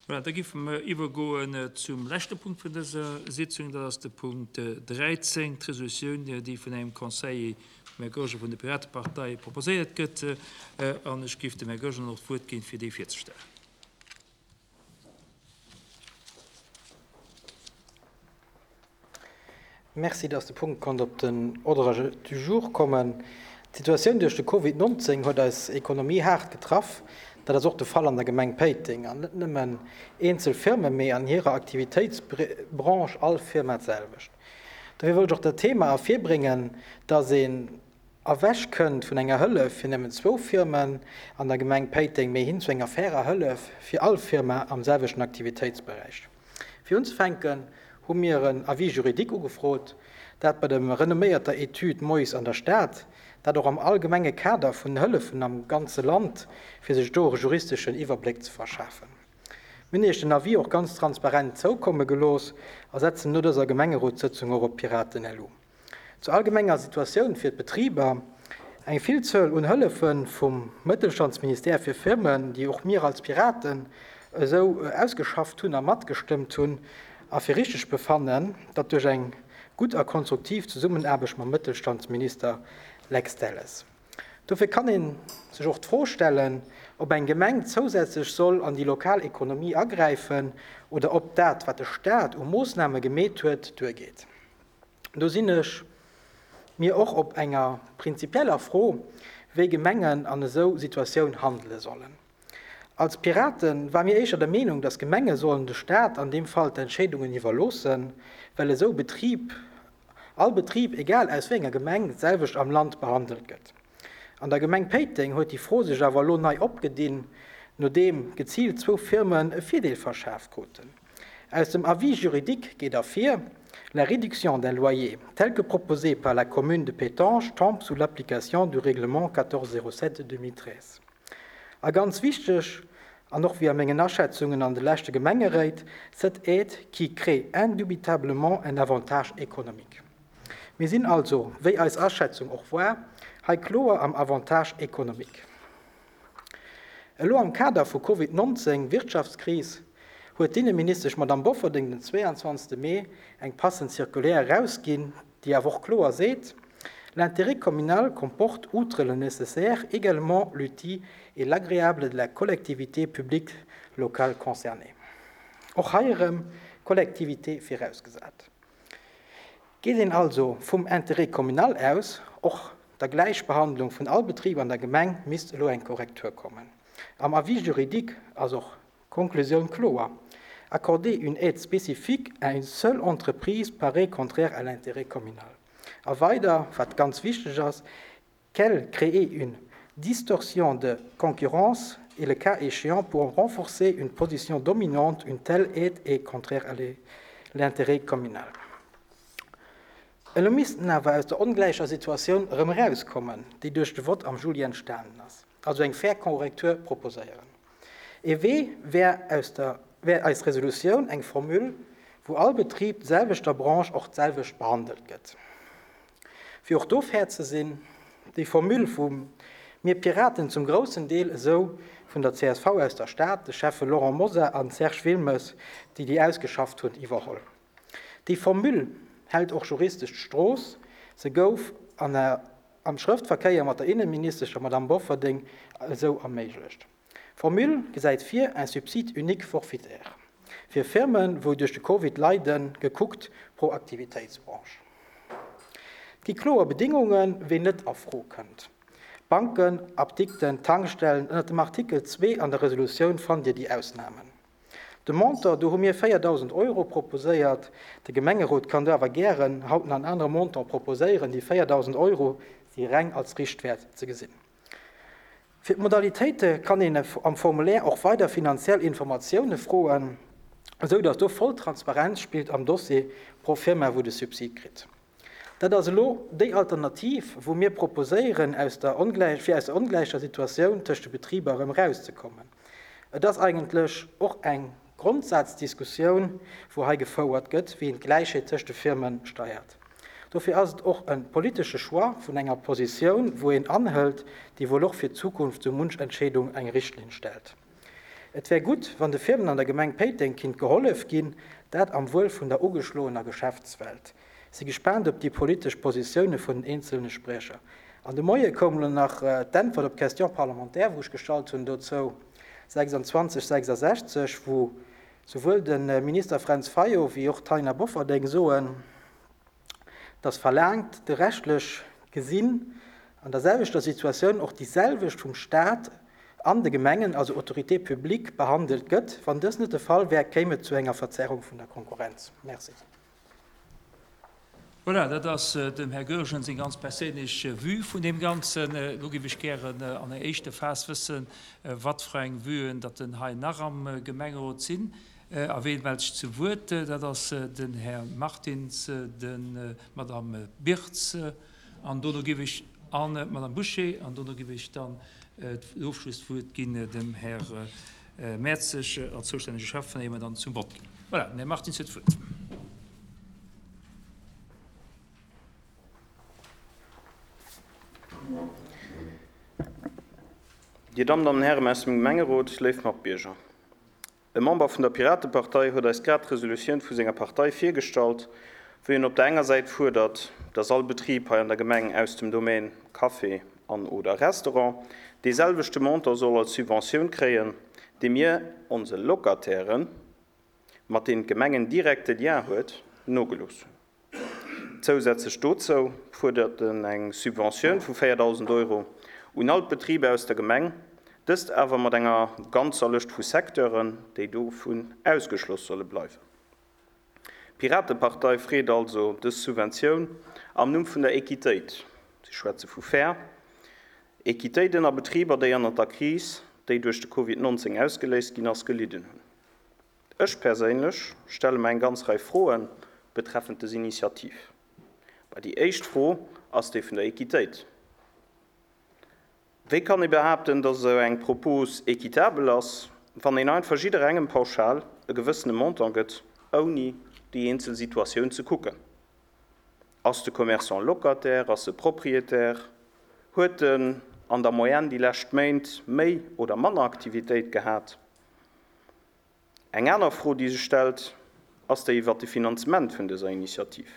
Voilà, da géife mer iwwergoen zum leschte Punkt vun dëser Sitzung. Dat ass de Punkt 13, d'Resolutioun, déi vun engem Conseiller, dem Här Goergen vun der Piratepartei, proposéiert gëtt. An ech géif dem Här Goergen och d'Wuert ginn, fir déi virzestellen. Merci, dass de Punkt konnt op den Ordre du jour kommen. D'Situatioun duerch de Covid 19 huet eis Ekonomie haart getraff. Dat ass och de Fall an der Gemeng Péiteng. An net nëmmen eenzel Firmen, mee an hirer Aktivitéitsbranche all Firma d'selwecht. Dofir wollt ech och dat Thema ervirbréngen, dass een ewech kënnt vun enger Hëllef fir nëmmen zwou Firmen an der Gemeng Péiteng, mee hin zu enger fairer Hëllef fir all Firma am selwechten Aktivitéitsberäich. Fir unzefänken hu mir en Avis juridique ugefrot, dat bei der renomméierter Etüd Mois an der Stad, dat och am allgemenge Kader vun Hëllefen am ganze Land, fir sech do e juristeschen Iwwerbléck ze verschafen. Mir hunn Iech den Avis och ganz transparent zoukomme gelooss a setzen no dëser Gemengerotssëtzung och op d'Piraten-LU. Zur allgemenger Situatioun fir d'Betriber, Eng Villzuel un Hëllefe vum Mëttelstandsministère fir Firmen, déi och mir als Piraten esou ausgeschafft hunn a matgestëmmt hunn a fir richteg befannen, datt duerch eng gutt a konstruktiv Zesummenaarbecht mam Mëttelstandsminister Lex Delles. Dofir kann ee sech och d'Fro stellen, ob eng Gemeng zousätzlech soll an déi lokal Ekonomie agräifen oder ob dat, wat de Staat u Moossname gemeet huet, duergeet. Do sinn ech mir och op enger prinzipieller Fro, wéi Gemengen an esou Situatioun handele sollen. Als Pirate war mir éischter der Meenung, datt Gemenge sollen de Staat an deem Fall d'Entscheedungen iwwerloossen, well esou Betrib, all Betrib, egal aus wéi enger Gemeng, d'selwecht am Land behandelt gëtt. An der Gemeng Péiteng huet déi Fro sech awer elo nei opgedinn, nodeem geziilt zwou Firmen e Virdeel verschaaft kruten. Aus dem Avis juridique geet ervir, La réduction d'un loyer telle que proposée par la commune de Pétange tombe sous l'application du règlement 1407/2013. A ganz wichteg, an och wéi a mengen Aschätzungen an de leschte Gemengeréit, cette aide qui crée indubitablement un avantage économique. Mir sinn also, wéi eis Aschätzung och war, hei kloer am Avantage économique. Elo am Kader vu Covid 19, Wirtschaftskris, huet d'Inneministesch Madamm Bofferding den 22 Mee eng passend Circulaire erausginn, déi awer och kloer seet, L'intérêt communal comporte, outre le nécessaire, également l'utile et l'agréable de la collectivité publique locale concernée. Och hei erëm Collectivité virausgesat. Geet een also vum Intérêt communal aus, och der Gläichbehandlung vun all Betrib an der Gemeng, misst elo eng Korrektur kommen. Am Avis juridique ass och d'Konklusioun kloer, Accorder une aide spécifique à une seule entreprise paraît contraire à l'intérêt communal. A weider, wat ganz wichteg ass, Qu'elle crée une distorsion de concurrence et le cas échéant pour renforcer une position dominante, une telle aide est contraire à l'intérêt communal. Elo missten awer aus der ongläicher Situatioun erëm erauskommen, déi duerch de Vott am Juli entstanen ass, also eng fair Korrektur proposéieren. Ee Wee wär aus der wär eis Resolutioun eng Formule, wou all Betrib d'selwechter Branche och d'selwecht behandelt gëtt. Fir och do fair ze sinn, déi Formule hu mir Piraten zum groussen Deel esou vun der csv aus der Stad, de Schäffe Laurent Mosar an Serge Wilmes, déi déi ausgeschafft hunn, iwwerholl. Déi Formule hält och juristesch d'Strooss, se gouf an am Schrëftverkéier mat der Innenministesch, der Madamm Bofferding, esou erméiglecht. D'Formule gesäit vir, un subside unique forfaitaire fir Firmen, wou duerch de Covid leiden, gekuckt pro Aktivitéitsbranche. Et gi kloer Bedingungen, ween net a Fro kënnt, Banken, Apdikten, Tankstellen. Ënnert dem Artikel 2 an der Resolutioun fannt Dir déi Ausnamen. De Montant, do hu mir 4.000 Euro proposéiert. De Gemengerot kann do awer gären haut nach en anere Montant proposéieren. Déi 4.000 Euro si reng als Richtwäert ze gesinn. Fir d'Modalitéite kann een am Formulaire och weider finanziell Informatioune froen, esou datt do voll Transparenz spillt am Dossier pro Firma wou de Subsid kritt. Dat ass elo déi Alternativ wou mir proposéieren aus der fir aus der ongläicher Situatioun tëscht de Betriber erëm erauszekommen. Et ass eigentlech och eng Grondsazdiskussioun wou hei gefouert gëtt, wéi een d'Gläichheet tëscht de Firme steiert. Dofir ass et och e politesche Choix vun enger Positioun, wou een anhëlt, déi wuel och fir d'Zukunft sou munch Entscheedung eng Richtlinn stellt. Et wär gutt, wann de Firmen an der Gemeng Péiteng kinnt gehollef ginn, dat am Wuel vun der ugeschloener Geschäftswelt. Si gespaant op déi politesch Positioune vun den eenzelne Spriecher. An de Moie koum elo nach d'Äntwert op d'Question parlementaire, wou ech gestallt hunn dozou, 26 66, wou souwuel de Minister Fränz Fayot wéi och d'Taina Bofferding soen, dass verlaangt, de rechtlech gesinn an der selwechter Situatioun och déi selwecht vum Stat an de Gemengen, also Autorité publique, behandelt gëtt. Wann dës net de Fall wär, kéim et zu enger Verzerrung vun der Konkurrenz. Merci. Voilà, dat ass dem Här Goergen seng ganz perséinlech Vue vun deem Ganzen. Elo géif ech gären an enger éischter Phas wëssen, wat fir eng Vuen datt denn hei nach am Gemengerot sinn. A ween mellt sech zu Wuert? Dat ass den Här Martins, d'Madame Birtz an dono géif ech, an d'Madame Bouché, an dono géif ech dann d'Ofschlusswuert ginn dem Här Mertzig als zoustännege Schäffen, éier mer dann zum Vott ginn. Voilà, den Här Martins huet d'Wuert. Dir Dammen an Hären aus dem Gemengerot, léif Matbierger. E Member vun der Piratepartei huet eis grad d'Resolutioun vu senger Partei virgestallt, wou hien op der enger Säit fuerdert, dass all Betrib hei an der Gemeng aus dem Domaine Café an oder Restaurant dee selwechte Montant soll als Subventioun kréien, dee mir onse Locatairen, mat deenen d'Gemeng en direkte Lien huet, nogelooss hunn. Zousätzlech dozou fuerdert en eng Subventioun vu 4.000 Euro un all d'Betriber aus der Gemeng, dëst awer mat enger ganzer Lëscht vu Secteuren, déi dovun ausgeschloss solle bleiwen. D'Piratepartei freet also dës Subventioun am Numm vun der Equitéit, si schwätze vu fair Equitéit ënner Betriber, déi ënnert der Kris, déi duerch de Covid 19 ausgeléist ginn ass, gelidden hunn. Ech perséinlech stelle mer eng ganz Rei Froe betreffend des Initiativ. Bah, déi éischt Fro ass déi vun der Equitéit. Wéi kann ee behaapten, dass esou eng Propos équitabel ass, wann een einfach jidderengem pauschal e gewëssene Montant gëtt, ouni déi eenzel Situatioun ze kucken? Ass de Commerçant Locataire, ass e Propriétaire, huet en an der Moyenne déi lescht Méint méi oder manner Aktivitéit gehat? Eng aner Fro, déi sech stellt, ass déi iwwert de Finanzement vun dëser Initiativ.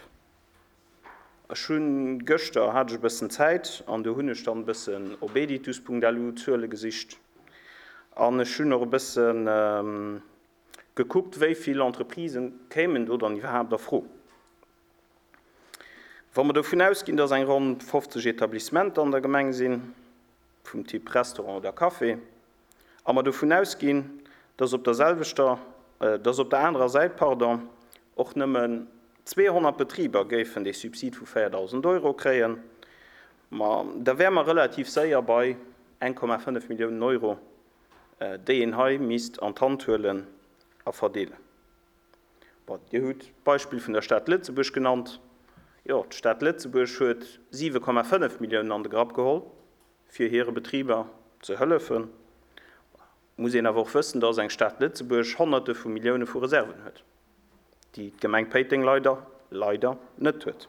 Ech hunn, gëschter hat ech e bëssen Zäit an do hunn ech dann e bëssen op editus.lu Zuele gesicht an ech hunn och e bësse gekuckt, wéi vill Entreprisen kéimen do dann iwwerhaapt a Fro. Wa mer dovun ausginn, dass eng ronn 50 Etablissementer an der Gemeng sinn, vum Typ Restaurant oder Café, a mer dovun ausginn, dass op der selwechter, dass op der anerer Säit, pardon, och nëmmen 200 Betriber géifen dee Subsid vu 4.000 Euro kréien, ma da wäre mer relativ séier bei 1,5 Milliounen Euro, déi een hei misst an d'Hand huelen a verdeelen. Bon, Dir hutt d'Beispill vun der Stad Lëtzebuerg genannt. Jo, d'Stad Lëtzebuerg huet 7,5 Milliounen an de Grapp geholl, fir hire Betriber ze hëllefen. Et muss een awer och wëssen, dass eng Stad Lëtzebuerg Honnerte vu Millioune vu Reserven huet, déi d'Gemeng Péiteng leider, leider net huet.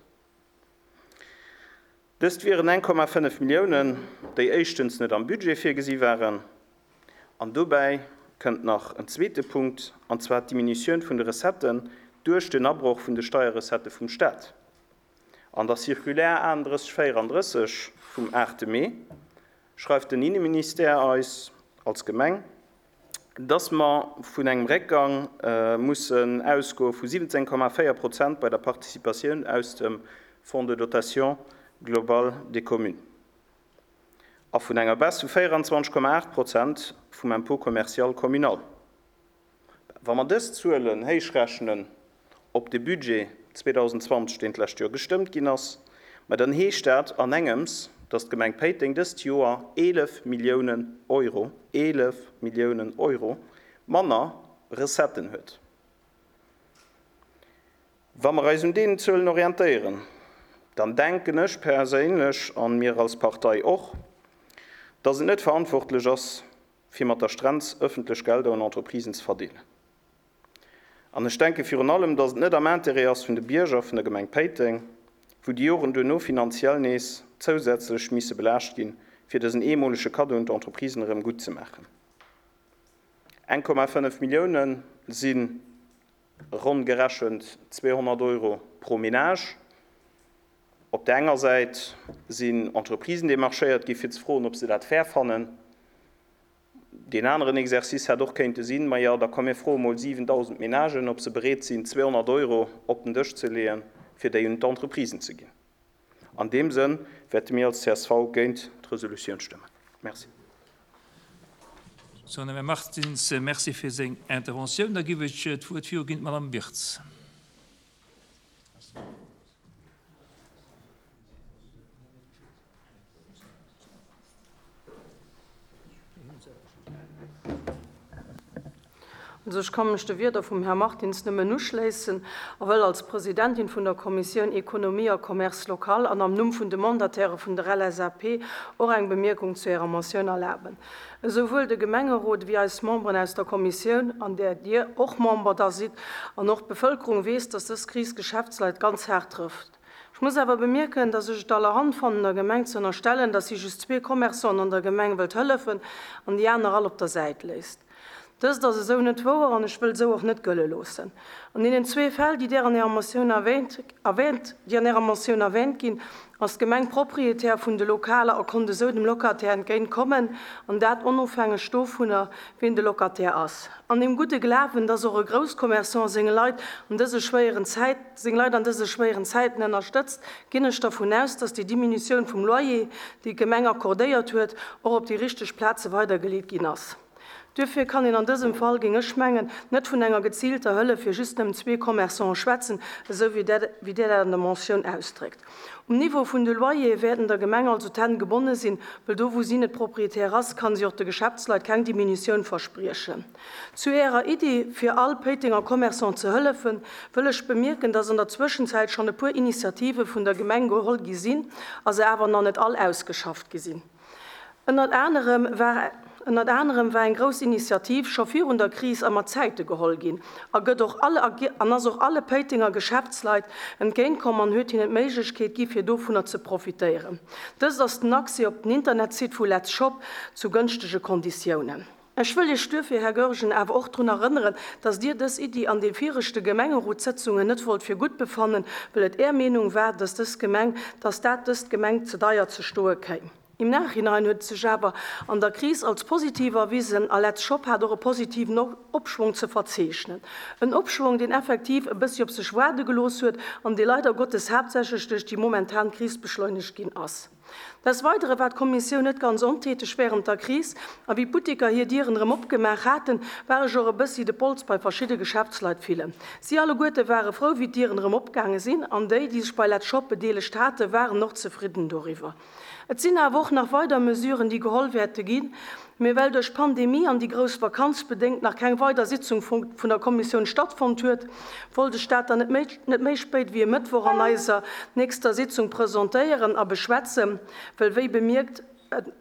Dëst wieren 1,5 Milliounen, déi éischtens net am Budget virgesi waren. An dobäi kënnt nach en zweete Punkt, an zwar d'Diminutioun vun de Recetten duerch den Abroch vun de Steierrecettë vum Stat. An der Circulaire 3834 vum 8 Mee schreift den Inneministère eis als Gemeng, dass mer vun engem Réckgang mussen ausgoe vu 17,4 Prozent bei der Participatioun aus dem Fonds de dotation globale des communes a vun enger Baisse vu 24,8 Prozent vum Impôt commercial communal. Wa mer dës Zuelen héichrechnen op de Budget 2020, deen d'lescht Joer gestëmmt ginn ass, ma dann heescht dat an engems, dass d'Gemeng Péiteng dëst Joer 11 Milliounen Euro, 11 Milliounen Euro, manner Recetten huet. Wa mer eis un deenen Zuelen orientéieren, dann denken ech perséinlech, an mir als Partei och, dass et net verantwortlech ass, fir mat der Strenz ëffentlech Gelder un Entreprisen ze verdeelen. An ech denke virun allem, dass et net am Intérêt ass vun de Bierger vun der Gemeng Péiteng, wou déi Joren duerno finanziell nees zousätzlech misse belaascht ginn, fir dësen eemolege Kaddo un d'Entreprisen erëm gutt ze maachen. 1,5 Millioune si ronn gerechent 200 Euro pro Menage. Op där enger Säit sinn Entreprisen demarchéiert gi fir ze froen, ob se dat fair fannen. Deen aneren Exercice hätt och kéinte sinn, Majo, da komm mir froe mol 7.000 Menagen, ob se bereet sinn, 200 Euro op den Dësch ze leeën, fir déi un d'Entreprisen ze ginn. An deem Sënn wäerte mir als csv géint d'Resolutioun stëmmen. Merci. Sou, den Här Martins, Merci fir seng Interventioun. Da giff ech d'Wuert viruginn d'Madame Wirtz. Also ech ka mech de Wierder vum Här Martins nëmmen uschléissen a wëll als Presidentin vun der Kommissioun Économie a Commerce local an am Numm vun de Mandataire vun der LSAP och eng Bemierkung zu Ärer Motioun erlaben. Esouwuel de Gemengerot ewéi eis Memberen aus der Kommissioun, an där Dir och Member da sidd, an och d'Bevëlkerung weess, dass dës Kris d'Geschäftsleit ganz haart trëfft. Ech muss awer bemierken, dass ech et allerhand fannen, der Gemeng ze ënnerstellen, dass si just zwee Commerçanten an der Gemeng wëllt hëllefen an déi aner all op der Säit léisst. Dëst ass esou net wouer an ech wëll esou och net gëlle loossen. An deenen zwee Fäll, déi Där an Ärer Motioun erwähnt, déi an Ärer Motioun erwähnt ginn, ass d'Gemeng Proprietär vun de Lokaler a konnt esou dem Locataire entgéint kommen, an dat onofhängeg dovunner, wien de Locataire ass. An deem gudde Glawen, dass och e Grousscommerçant senge Leit an dëse schwéieren Zäit, seng Leit an dëse schwéieren Zäiten ënnerstëtzt, ginn ech dervun aus, dass déi Diminutioun vum Loyer, déi d'Gemeng accordéiert huet, och op déi richteg Plaze weidergeleet ginn ass. Duerfir kann een an dësem Fall, géing ech mengen, net vun enger geziilter Hëllef fir just nëmmen zwee Commerçanten schwätzen, esou wéi Dir dat an der Motioun ausdréckt. Um Niveau vun de Loyere wäerten der Gemeng also d'Hänn gebonne sinn, well do wou si net Proprietär ass, kann si och de Geschäftsleit keng Diminutioun verspriechen. Zu Ärer Iddi, fir all Péitenger Commerçant ze hëllefen, wëll ech bemierken, dass an der Zwëschenzäit schonn e puer Initiative vun der Gemeng geholl gi sinn a se awer nach net all ausgeschafft gi sinn. Ënnert anerem war ënnert anerem war eng grouss Initiativ scho virun der Kris a mat Zäite geholl ginn a gëtt och alle an ass och alle Péitenger Geschäftsleit entgéint komm an huet hinnen d'Méiglechkeet gi fir dovunner ze profitéieren. Dëst ass den Accès op den Internetsite vu Let's Shop zu gënschtege Konditiounen. Ech wëll Iech duerfir, Här Goergen, awer och drun erënneren, dass Dir dës Iddi an de viregte Gemengerotssëtzungen net wollt fir gutt befannen, well et Är Meenung war, dass dës Gemeng, dass dat dëst Gemeng ze deier ze stoe kéim. Im Nachhinein huet et sech awer an der Kris als positiv erwisen a Letz Shop hat och e positiven Opschwong ze verzeechnen. En Opschwong, deen effektiv e bëssi op sech waarde gelooss huet an dee leider Gottes haaptsächlech duerch déi momentan Kris beschleunegt ginn ass. Des Weidere war d'Kommissioun net ganz ontäteg wärend der Kris, a wéi d'Butteker hir Dieren erëm opgemaach haten, war ech och e bëssi de Pols bei verschidde Geschäftsleit fillen. Si alleguerte ware frou, wéi d'Dieren erëm opgaange sinn, an déi, déi sech bei Let's Shop bedeelegt haten, waren och zefridden doriwwer. Et sinn awer och nach weider Mesuren, déi geholl wäerte ginn. Mee well duerch d'Pandemie an déi grouss Vakanz bedéngt nach keng weider Sitzung vun der Kommissioun stattfonnt huet, wollt ech dat dann net méi net méi spéit wéi e Mëttwoch an eiser nächster Sitzung presentéieren a beschwätzen, well wéi bemierkt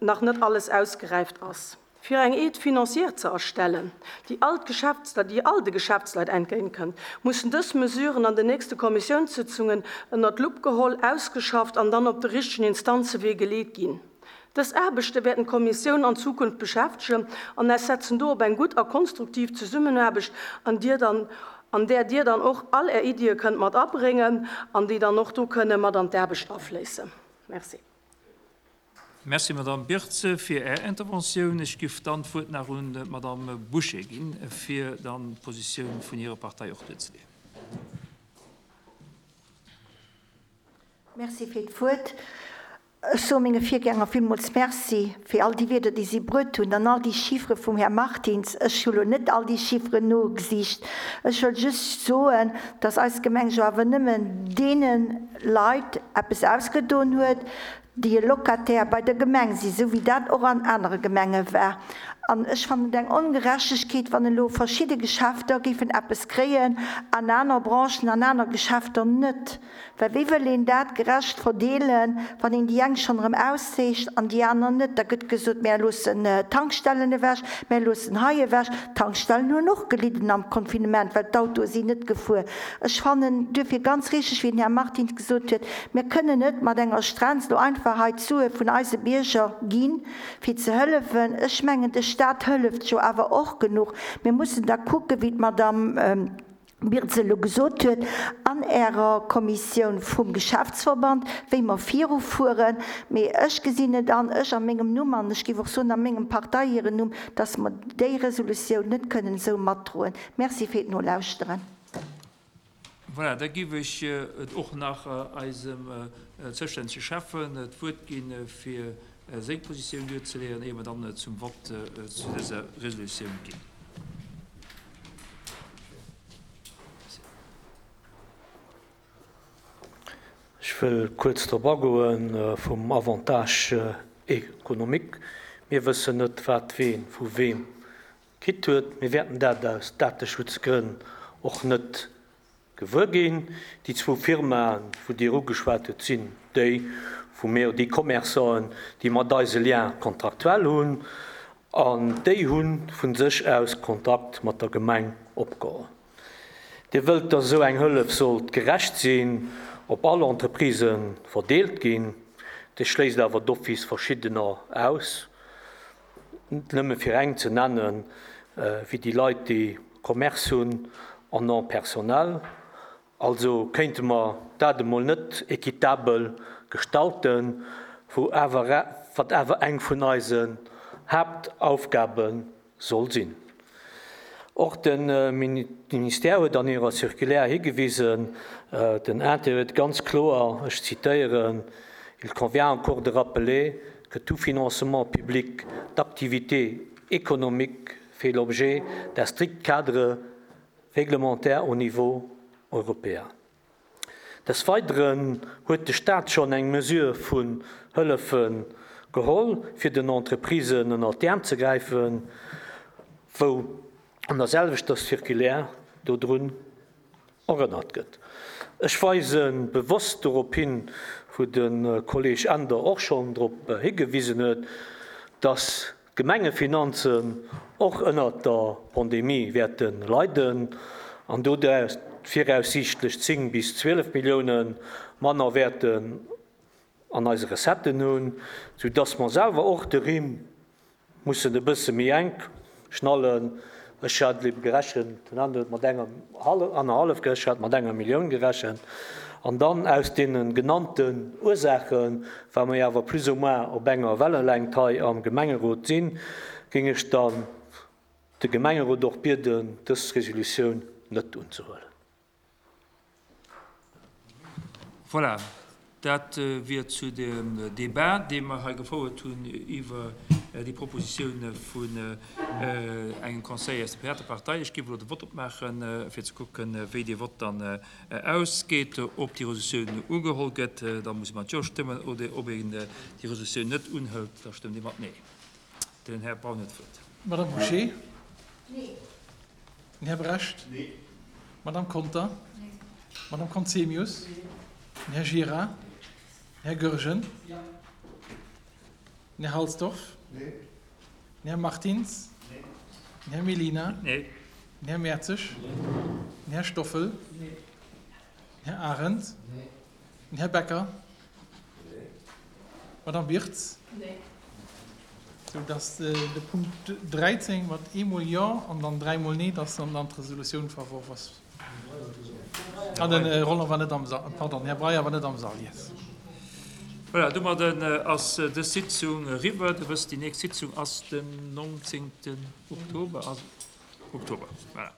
nach net alles ausgeräift ass. Fir eng Aide financière ze erstellen, déi all d'Geschäftsleit, déi all de Geschäftsleit entgéint kënnt, mussen dës Mesuren an den nächste Kommissiounssitzungen ënnert d'Lupp geholl, ausgeschafft an dann op de richtegen Instanzewee geleet ginn. Dës Aarbechte wäerten d'Kommissioun an Zukunft beschäftegen an eis setzen do op eng gutt a konstruktiv Zesummenaarbecht, an Dir dann, an där Dir dann och all Är Iddie kënnt mat abréngen an déi dann och do kënne mat an d'Aarbecht afléissen. Merci. Merci, Madamm Birtz, fir Är Interventioun. Ech giff dann d'Wuert nach un d'Madamm Bouché ginn, fir dann d'Positioun vun hirer Partei och duerzeleeën. Merci fir d'Wuert. Ech soe menge Virgänger villmools Merci fir all déi Wierder, déi si bruet hunn, an all déi Chiffere vum Här Martins. Ech hu lo net all déi Chifferen nogesicht. Ech wëll just soen, dass eis Gemeng jo awer nëmmen deene Leit eppes ausgedoen huet, déi e Locataire bei der Gemeng sinn, esou wéi dat och an anere Gemenge war. An ech fannen et eng Ongerechtegkeet, wann elo verschidde Geschäfter géifen eppes kréien an aner Branchen an aner Geschäfter net. Well wéi wëll een dat gerecht verdeelen, wann een déi eng schonn erëm auszeecht an déi aner net? Da gëtt gesot, Mär loossen d'Tankstellen ewech, mär loossen hei ewech. D'Tankstellen hunn och gelidden am Confinement, well d'Autoe sinn net gefuer. Ech fannen duerfir ganz richteg, wéi den Här Martins gesot huet, Mir kënnen net mat enger Strenz elo einfach hei d'Sue vun eise Bierger ginn, fir ze hëllefen. Ech mengen, de. Staat hëlleft jo awer och genuch. Mir mussen da kucken, wéi d'Madame Birtz elo gesot huet, an Ärer Kommissioun vum Geschäftsverband, wéi mer virufueren. Mee ech gesinn et an, ech a mengem Numm an ech géif och soen a mengem Partei hiren Numm, dass mer déi Resolutioun net kënnen esou matdroen. Merci fir d'Nolauschteren. Voilà, da géif ech et och nach eisem zoustännege Schäffen d'Wuert ginn, fir seng Positioun duerzeleeën, éier mer dann zum Vott zu dëser Resolutioun ginn. Ech wëll kuerz drop agoe vum Avantage économique. Mir wëssen net, wat wee vu weem kritt huet. Mir wäerten dat aus Dateschutzgrënn och net gewuer ginn. Déi zwou Firmaen, wou Dir ugeschwat hutt, sinn déi, wou mir, déi Commerçanten, déi mat eis e Lien contractuel hunn, an déi hu vu sech aus Kontakt mat der Gemeng opgeholl. Dir wëllt, dass esou eng Hëllef sollt gerecht sinn, op all Entreprisë verdeelt ginn. Dir schléisst awer d'office verschiddener aus. Nëmme fir eng ze nennen, wéi déi Leit, déi Commerce hunn en nom personnel. Also kéinte mer dat emol net équitabel gestalten, wou awer, wat awer eng vun eisen Haaptaufgabe soll sinn. Och de Ministère huet an hirer Circulaire higewisen, den Intérieur huet ganz kloer, ech zitéieren, Il convient encore de rappeler que tout financement public d'activités économiques fait l'objet d'un strict cadre réglementaire au niveau européen. Des Weideren huet de Staat schonn eng Mesure vun Hëllefe geholl, fir den Entreprisen ënnert d'Äerm ze gräifen, wou an der selwechter Circulaire dodrun erënnert gëtt. Ech weise bewosst dorop hin, wou de Kolleg Änder och schonn drop higewisen huet, dass d'Gemengefinanzen och ënnert der Pandemie wäerte leiden an doduerch viraussiichtlech 10 bis 12 Millioune manner wäerten an eise Recetten hunn, soudass mer selwer och de Rimm mussen e bësse méi enk schnallen. Ech hat ebe gerechent, den Anne huet mat enger annerhallef gerechent, ech hat mat enger Millioun gerechent. An dann aus deene genannten Ursaachen, well mer jo awer plus ou moins op enger Wellelängt hei am Gemengerot sinn, géing ech dann de Gemengerot och bieden, dës Resolutioun net unzehuelen. Voilà, dat wier zu dem Débat, dee mer hei gefouert hunn iwwer déi Propositioun vun engem Conseiller aus der Piratepartei. Ech géif elo de Vott opmaachen, fir ze kucken, wéi dee Vott dann ausgeet, ob déi Resolutioun ugeholl gëtt, da muss ee mat Jo stëmmen, oder ob een déi Resolutioun net unhëlt, da stëmmt ee mat Nee. Den Här Braun huet d'Wuert. Madame Bouché? Nee. Den Här Brecht? Nee. D'Madame Conter? Nee. D'Madame Conzemius? Nee. Den Här Gira? Den Här Goergen? Jo. Den Här Halsdorf? Nee. Den Här Martins? Nee. Den Här Mellina? Nee. Den Här Mertzig? Nee. Den Här Stoffel? Nee. Den Här Arendt? Nee. Den Här Becker? Nee. D'Madame Wirtz? Nee. Sou dass de Punkt 13 mat eemol Jo an dann dräimol Nee, dass dann dann d'Resolutioun verworf ass. Ah, den Roland war net am Sall, pardon, den Här Breyer war net am Sall, yes. Voilà, domadden ass dës Sitzung eriwwer. Der wësst, déi nächst Sitzung ass den 19. Oktober, Oktober, voilà.